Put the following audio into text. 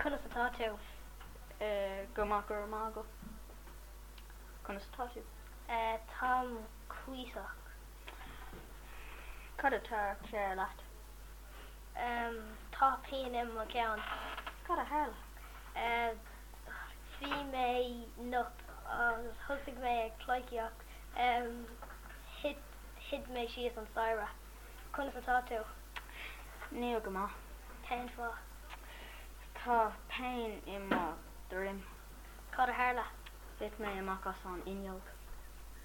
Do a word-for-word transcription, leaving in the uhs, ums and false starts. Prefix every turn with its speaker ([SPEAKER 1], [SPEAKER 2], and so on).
[SPEAKER 1] Conas atá tú?
[SPEAKER 2] Go maith go raibh maith agat. Conas atá tú?
[SPEAKER 1] Táim cuíosach.
[SPEAKER 2] Cad atá cearr leat?
[SPEAKER 1] Tá pian i mo cheann.
[SPEAKER 2] Cad a tharla?
[SPEAKER 1] Bhí mé nocht agus thosaigh mé ag pleidhcíocht thit thit mé síos an staighre. Conas atá tú?
[SPEAKER 2] Níl go maith.
[SPEAKER 1] Cén fáth?
[SPEAKER 2] Tá pian i mo dhroim.
[SPEAKER 1] Cad a tharla?
[SPEAKER 2] Thit mé amach as an fhuinneog.